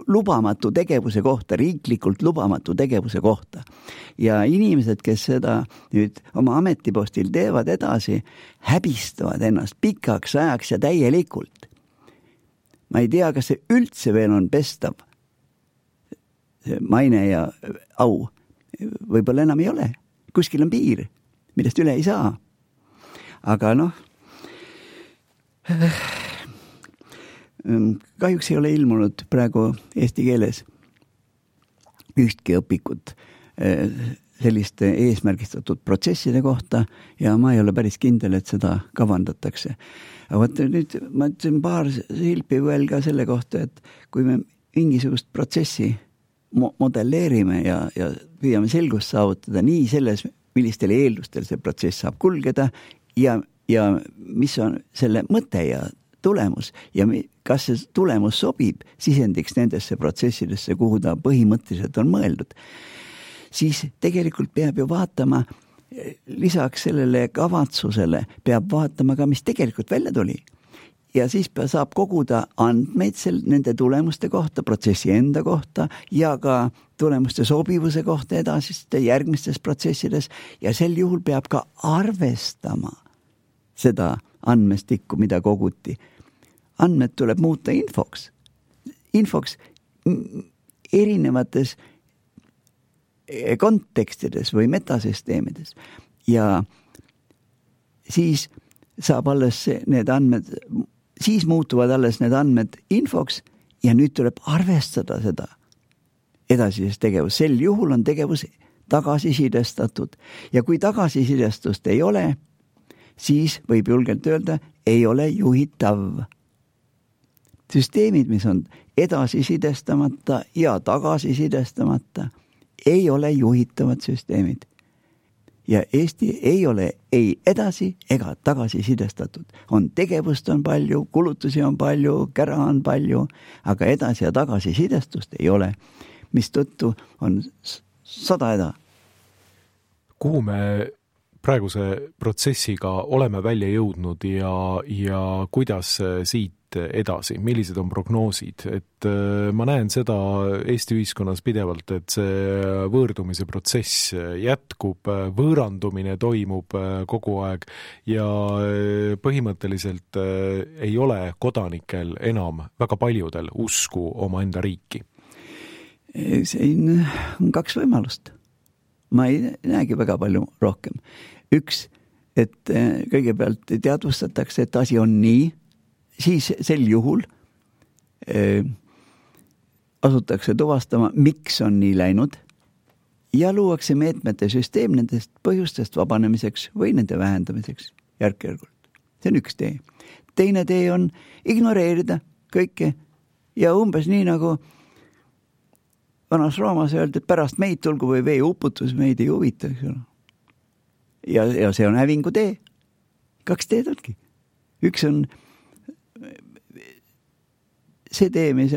lubamatu tegevuse kohta, riiklikult lubamatu tegevuse kohta. Ja inimesed, kes seda nüüd oma ametipostil teevad edasi, häbistavad ennast pikaks ajaks ja täielikult. Ma ei tea, kas see üldse veel on pestav maine ja au. Võib-olla enam ei ole. Kuskil on piir, millest üle ei saa. Aga noh, kahjuks ei ole ilmunud praegu eesti keeles ühtki õpikut selliste eesmärgistatud protsesside kohta ja ma ei ole päris kindel, et seda kavandatakse. Aga võt, nüüd ma ütlen paar silpi veel ka selle kohta, et kui me mingisugust protsessi mo- modelleerime ja, ja püüame selgust saavutada nii selles, millistel eeldustel see protsess saab kulgeda ja, ja mis on selle mõte ja tulemus ja kas see tulemus sobib sisendiks nendesse protsessidesse, kuhu ta põhimõtteliselt on mõeldud, siis tegelikult peab ju vaatama lisaks sellele kavatsusele, peab vaatama ka, mis tegelikult välja tuli. Ja siis saab koguda andmeid sel, nende tulemuste kohta, protsessi enda kohta ja ka tulemuste sobivuse kohta edasiste järgmistes protsessides ja sel juhul peab ka arvestama seda andmestikku, mida koguti. Andmed tuleb muuta infoks. Infoks erinevates kontekstides või metasüsteemides. Ja siis saab alles need andmed, siis muutuvad alles need andmed infoks ja nüüd tuleb arvestada seda edasises tegevus. Sel juhul on tegevus tagasisidestatud ja kui tagasisidestust ei ole, siis võib julgelt öelda, ei ole juhitav. Süsteemid, mis on edasisidestamata ja tagasisidestamata, ei ole juhitavad süsteemid. Ja Eesti ei ole ei edasi ega tagasisidestatud. On tegevust on palju, kulutusi on palju, kära on palju, aga edasi ja tagasisidestust ei ole, mis tõttu on sada eda. Kuhu me praeguse protsessiga oleme välja jõudnud ja, ja kuidas siit edasi, millised on prognoosid, et ma näen seda Eesti ühiskonnas pidevalt, et see võõrdumise protsess jätkub, võõrandumine toimub kogu aeg ja põhimõtteliselt ei ole kodanikel enam väga paljudel usku oma enda riiki. See on kaks võimalust. Ma ei näegi väga palju rohkem. Üks, et kõigepealt teadvustatakse, et asi on nii, siis sel juhul äh, asutakse tuvastama, miks on nii läinud ja luuakse meetmete süsteem nendest põhjustest vabanemiseks või nende vähendamiseks järk-järgult. See on üks tee. Teine tee on ignoreerida kõike ja umbes nii nagu vanas Roomas öeldi, et pärast meid tulgu või vee uputus, meid ei huvita. Ja, ja see on hävingu tee. Kaks teed ongi. Üks on see tee, mis,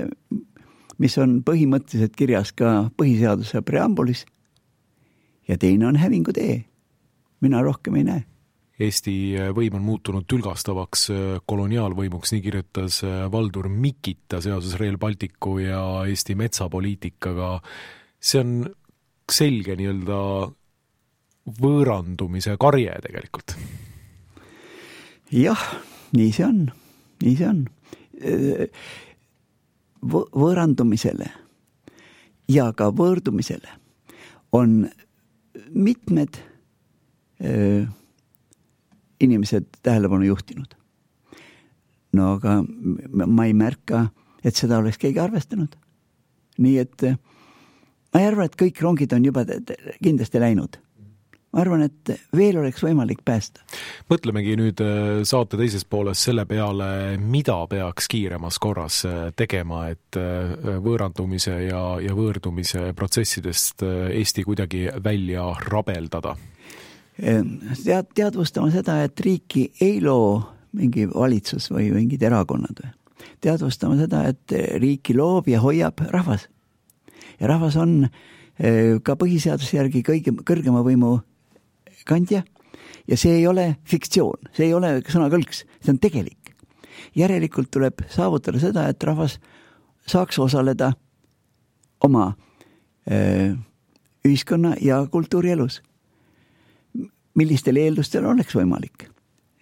mis on põhimõtteliselt kirjas ka põhiseaduse preambulis ja teine on hävingu tee. Mina rohkem ei näe. Eesti võim on muutunud tülgastavaks koloniaalvõimuks, nii kirjutas Valdur Mikita seoses Rail Balticu ja Eesti metsapoliitikaga. See on selge nii-öelda võõrandumise karje tegelikult. Jah, nii see on, nii see on. Võõrandumisele ja ka võõrdumisele on mitmed öö, inimesed tähelepanu juhtinud. No aga ma ei märka, et seda oleks keegi arvestanud. Nii et ma ei arva, et kõik rongid on juba kindlasti läinud. Ma arvan, et veel oleks võimalik päästa. Mõtlemegi nüüd saate teises pooles selle peale, mida peaks kiiremas korras tegema, et võõrandumise ja, ja võõrdumise protsessidest Eesti kuidagi välja rabeldada. Tead, teadvustama seda, et riiki ei loo mingi valitsus või mingid erakonnad. Teadvustama seda, et riiki loob ja hoiab rahvas. Ja rahvas on ka põhiseaduse järgi kõige, kõrgema võimu kandja ja see ei ole fiktsioon, see ei ole sõnakõlks, see on tegelik. Järelikult tuleb saavutada seda, et rahvas saaks osaleda oma öö, ühiskonna ja kultuurielus. Millistel eeldustel oleks võimalik.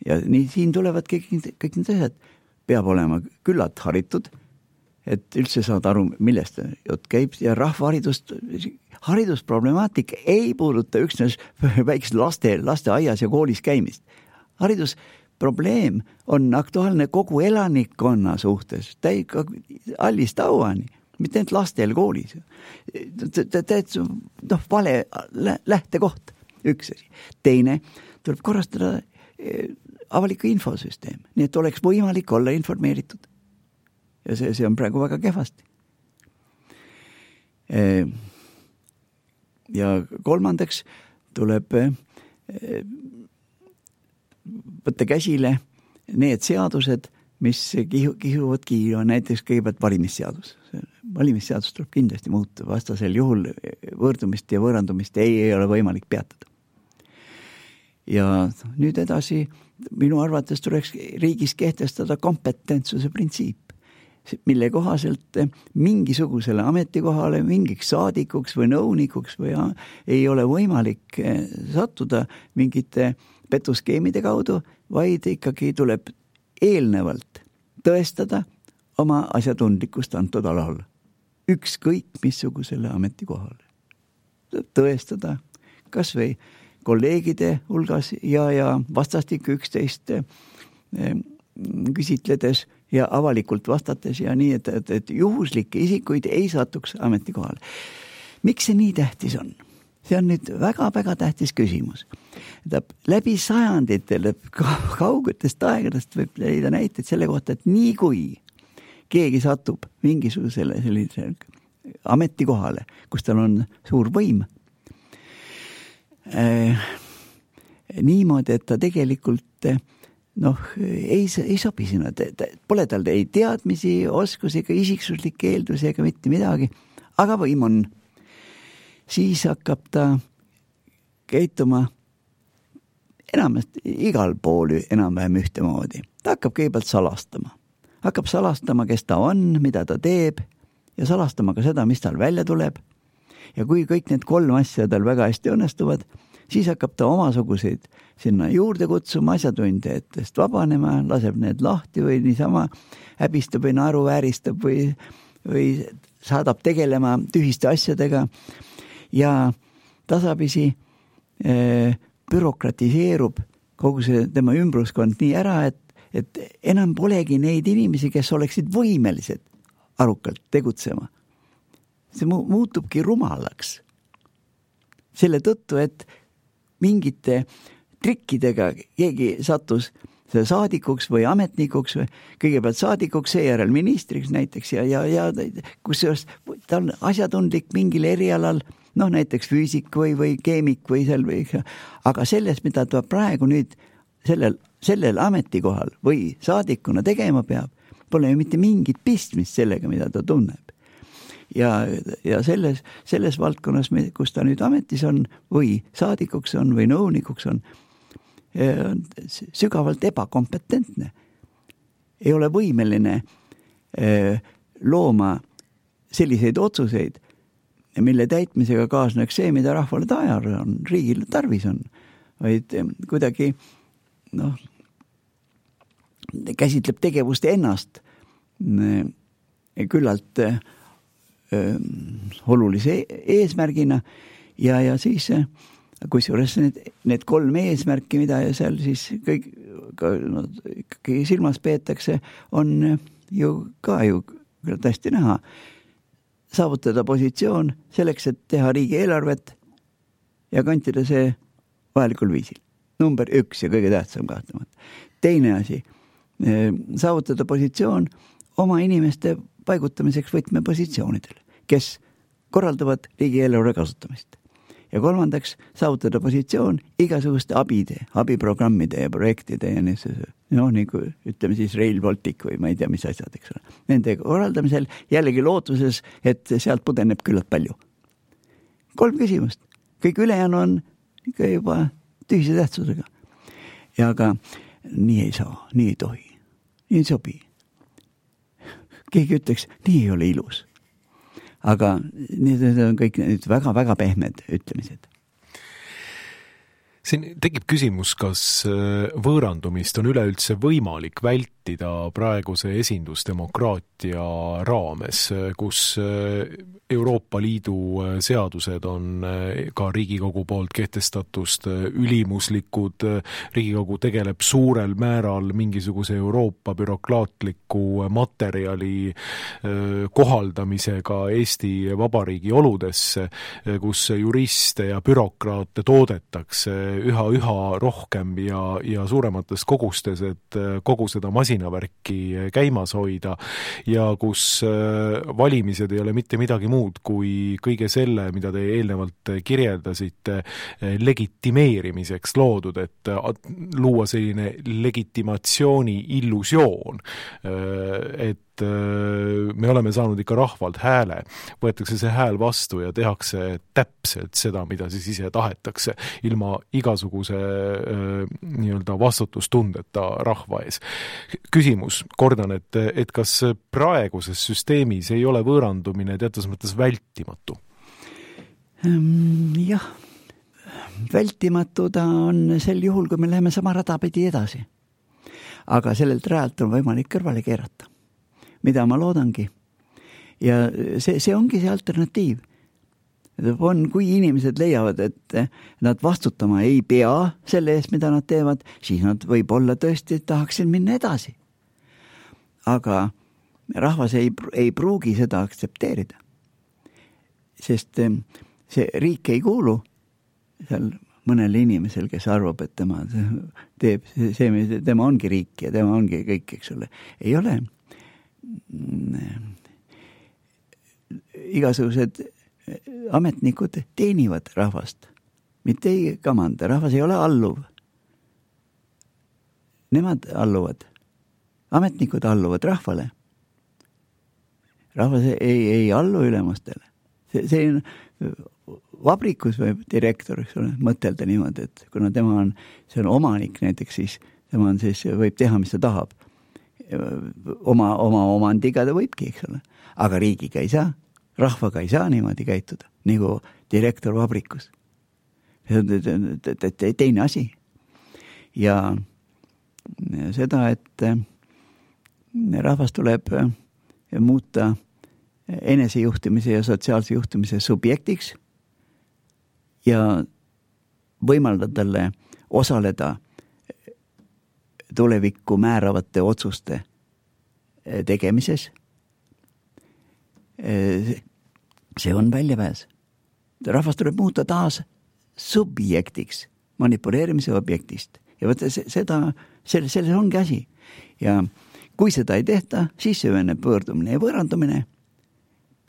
Ja nii siin tulevad kõik, kõik need asjad. Peab olema küllalt haritud, et üldse saad aru, millest jutt käib ja rahvaharidust, haridusproblemaatika ei puuduta üksnes väikest laste, laste aias ja koolis käimist. Haridusprobleem on aktuaalne kogu elanikkonna suhtes, täi, allist auani, mitte ainult lastel koolis. Noh, vale lähtekoht, üks asi. Teine, tuleb korrastada avaliku infosüsteem, nii et oleks võimalik olla informeeritud. Ja see, see on praegu väga kehvasti. Ja kolmandaks tuleb võtta käsile need seadused, mis kihu, kihuvad kiiru, näiteks kõigepealt valimisseadus. Valimisseadus tuleb kindlasti muuta, vastasel juhul võõrdumist ja võõrandumist ei, ei ole võimalik peatada. Ja nüüd edasi, minu arvates tuleks riigis kehtestada kompetentsuse printsiip, mille kohaselt mingisugusele ametikohale, mingiks saadikuks või nõunikuks või ei ole võimalik sattuda mingite petuskeemide kaudu, vaid ikkagi tuleb eelnevalt tõestada oma asjatundlikkust antud alal. Ükskõik missugusele ametikohale. Tõestada kas või kolleegide hulgas ja, ja vastastik üksteist küsitledes ja avalikult vastates ja nii, et, et, et juhuslikke isikuid ei satuks ametikohale. Miks see nii tähtis on? See on nüüd väga-väga tähtis küsimus. Läbi sajanditele kaugetest aegadest võib leida näiteid selle kohta, et nii kui keegi satub mingisugusele sellisele ametikohale, kus tal on suur võim, äh, niimoodi, et ta tegelikult noh, ei, ei sobi sinna. Pole tal ei teadmisi, oskusi ega isiksuslikke eeldusi ega mitte midagi, aga võim on. Siis hakkab ta käituma enamast igal pool enam-vähem ühtemoodi. Ta hakkab kõigepealt salastama. Hakkab salastama, kes ta on, mida ta teeb ja salastama ka seda, mis tal välja tuleb. Ja kui kõik need kolm asja tal väga hästi õnnestuvad, siis hakkab ta omasuguseid sinna juurde kutsuma asjatundjatest vabanema, laseb need lahti või niisama häbistab või naeruvääristab või, või saadab tegelema tühiste asjadega ja tasapisi eh, bürokratiseerub kogu see tema ümbruskond nii ära, et, et enam polegi neid inimesi, kes oleksid võimelised arukalt tegutsema. See mu- muutubki rumalaks. Selle tõttu, et mingite trikkidega keegi sattus saadikuks või ametnikuks, või kõigepealt saadikuks, seejärel ministriks näiteks ja, ja, ja kusjuures ta on asjatundlik mingil erialal, noh näiteks füüsik või, või keemik või seal või, aga selles, mida ta praegu nüüd sellel, sellel ametikohal või saadikuna tegema peab, pole ju mitte mingit pistmist sellega, mida ta tunneb. Ja, ja selles, selles valdkonnas, kus ta nüüd ametis on või saadikuks on või nõunikuks on, on sügavalt ebakompetentne. Ei ole võimeline looma selliseid otsuseid, mille täitmisega kaasneks see, mida rahvale tajar on, riigile tarvis on, vaid kuidagi noh, käsitleb tegevust ennast küllalt öö, olulise eesmärgina ja, ja siis kusjuures need, need kolm eesmärki, mida seal siis kõik ka, no, ikkagi silmas peetakse, on ju ka ju tästi näha. Saavutada positsioon selleks, et teha riigieelarvet ja kantida see vajalikul viisil. Number üks ja kõige tähtsam kahtlemata. Teine asi, saavutada positsioon oma inimeste paigutamiseks võtmepositsioonidel, kes korraldavad riigieelarve kasutamist. Ja kolmandaks, saavutada positsioon igasuguste abide, abiprogrammide ja projektide ja niisuguse, noh, nagu ütleme siis Rail Baltic või ma ei tea, mis asjad, eks ole. Nende korraldamisel jällegi lootuses, et sealt pudeneb küllalt palju. Kolm küsimust. Kõik ülejäänu on ikka juba tühise tähtsusega. Ja aga nii ei saa, nii ei tohi, nii ei sobi. Keegi ütleks, nii ei ole ilus. Aga need on kõik need väga-väga pehmed ütlemised. Siin tekib küsimus, kas võõrandumist on üleüldse võimalik vältida praeguse esindusdemokraatia raames, kus Euroopa Liidu seadused on ka Riigikogu poolt kehtestatust ülimuslikud, Riigikogu tegeleb suurel määral mingisuguse Euroopa bürokraatliku materjali kohaldamisega Eesti Vabariigi oludesse, kus juriste ja bürokraate toodetakse üha, üha rohkem ja, ja suuremates kogustes, et kogu seda masinavärki käimas hoida ja kus valimised ei ole mitte midagi muud kui kõige selle, mida te eelnevalt kirjeldasite, legitimeerimiseks loodud, et luua selline legitimatsiooni illusioon, et me oleme saanud ikka rahvalt hääle, võetakse see hääl vastu ja tehakse täpselt seda, mida siis ise tahetakse, ilma igasuguse nii-öelda vastutustundeta rahva ees. Küsimus, kordan, et, et kas praeguses süsteemis ei ole võõrandumine teatud mõttes vältimatu? Jah, vältimatu ta on sel juhul, kui me läheme sama rada pidi edasi. Aga sellelt rajalt on võimalik kõrvale keerata, mida ma loodangi. Ja see, see ongi see alternatiiv. On, kui inimesed leiavad, et nad vastutama ei pea selle eest, mida nad teevad, siis nad võib-olla tõesti tahaksid minna edasi. Aga rahvas ei, ei pruugi seda aktsepteerida. Sest see riik ei kuulu seal mõnel inimesel, kes arvab, et tema teeb see, tema ongi riik ja tema ongi kõik, eks ole. Ei ole. Igasugused ametnikud teenivad rahvast, mitte ei kamanda. Rahvas ei ole alluv. Nemad alluvad. Ametnikud alluvad rahvale. Rahvas ei, ei allu ülemustele. See, see on vabrikus või direktor, eks ole, mõtelda niimoodi, et kuna tema on, see on omanik näiteks, siis tema on siis, võib teha, mis ta tahab. Oma, oma omandiga ta võibki, eks ole. Aga riigiga ei saa, rahvaga ei saa niimoodi käituda, nagu direktor vabrikus. See on teine asi. Ja seda, et rahvas tuleb muuta enesejuhtimise ja sotsiaalse juhtimise subjektiks ja võimaldada talle osaleda tulevikku määravate otsuste tegemises. See on väljapääs. Rahvas tuleb muuta taas subjektiks, manipuleerimise objektist. Ja võtta seda, selles, selles ongi asi. Ja kui seda ei tehta, siis süveneb võõrdumine ja võõrandumine,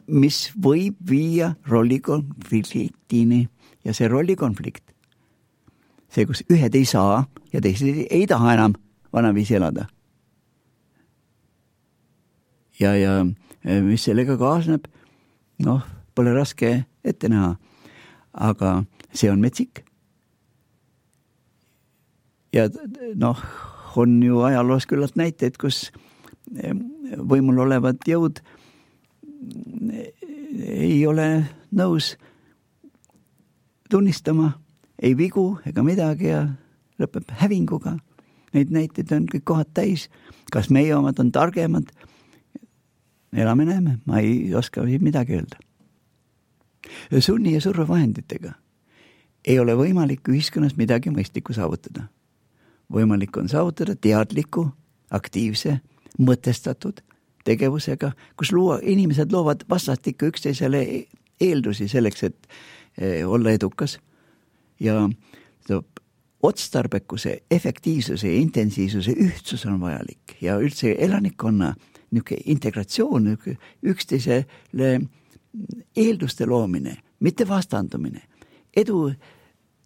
mis võib viia rollikonfliktini. Ja see rollikonflikt, see, kus ühed ei saa ja teised ei taha enam vanaviisi elada. Ja, ja mis sellega kaasneb, noh, pole raske ette näha, aga see on metsik. Ja noh, on ju ajaloos küllalt näiteid, kus võimul olevad jõud ei ole nõus tunnistama, ei vigu ega midagi ja lõpeb hävinguga. Neid näiteid on kõik kohad täis. Kas meie omad on targemad? Elame näeme, ma ei oska midagi öelda. Sunni ja survevahenditega ei ole võimalik ühiskonnas midagi mõistlikku saavutada. Võimalik on saavutada teadliku, aktiivse, mõtestatud tegevusega, kus luua, inimesed loovad vastastikku üksteisele eeldusi selleks, et olla edukas ja otstarbekuse, efektiivsuse ja intensiivsuse ühtsus on vajalik ja üldse elanikkonna niisugune integratsioon, üksteisele eelduste loomine, mitte vastandumine. Edu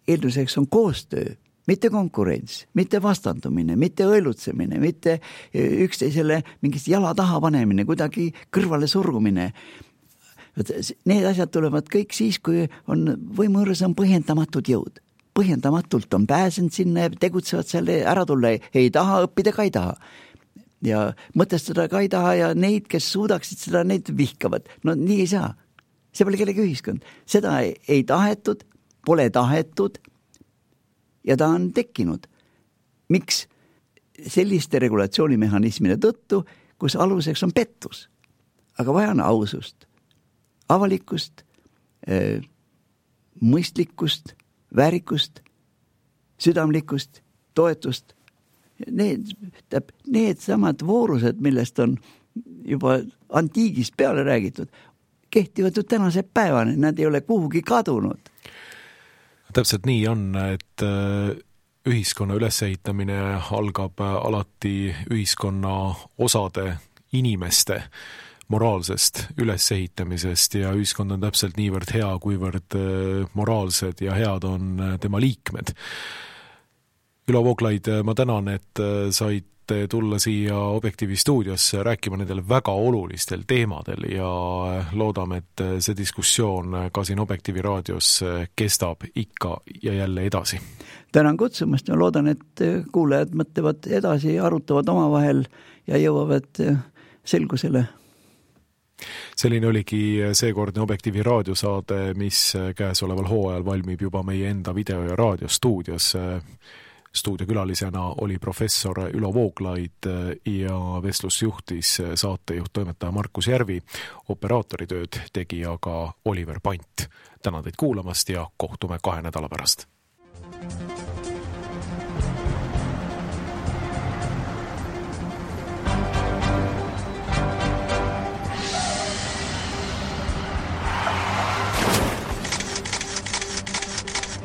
eelduseks on koostöö, mitte konkurents, mitte vastandumine, mitte õelutsemine, mitte üksteisele mingist jala taha panemine, kuidagi kõrvale surgumine. Need asjad tulevad kõik siis, kui on võimuõrres on põhjendamatud jõud. Põhjendamatult on pääsenud sinna ja tegutsevad selle ära tulla. Ei taha, õppida ka ei taha. Ja mõtestada ka ei taha ja neid, kes suudaksid seda, neid vihkavad. No nii ei saa. See pole kellegi ühiskond. Seda ei, ei tahetud, pole tahetud ja ta on tekkinud. Miks? Selliste regulatsioonimehhanismide tõttu, kus aluseks on pettus. Aga vaja on ausust, avalikust, mõistlikkust, väärikust, südamlikkust, toetust. Need, need samad voorused, millest on juba antiigist peale räägitud, kehtivad ju tänase päevani, nad ei ole kuhugi kadunud. Täpselt nii on, et ühiskonna ülesehitamine algab alati ühiskonna osade inimeste moraalsest ülesehitamisest ja ühiskond on täpselt niivõrd hea, kuivõrd moraalsed ja head on tema liikmed. Ülo Vooglaid, ma tänan, et saite tulla siia Objektiivi stuudiosse rääkima nendel väga olulistel teemadel ja loodame, et see diskussioon ka siin Objektiivi raadios kestab ikka ja jälle edasi. Tänan kutsumast ja loodan, et kuulajad mõtlevad edasi, arutavad omavahel ja jõuavad selgusele. Selline oligi seekordne Objektiivi raadiosaade, mis käesoleval hooajal valmib juba meie enda video- ja raadiostuudios. Stuudiokülalisena oli professor Ülo Vooglaid ja vestlus juhtis saatejuht toimetaja Markus Järvi, operaatoritööd tegi aga Oliver Pant. Tänan teid kuulamast ja kohtume kahe nädala pärast.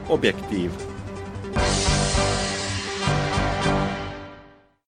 Objektiiv.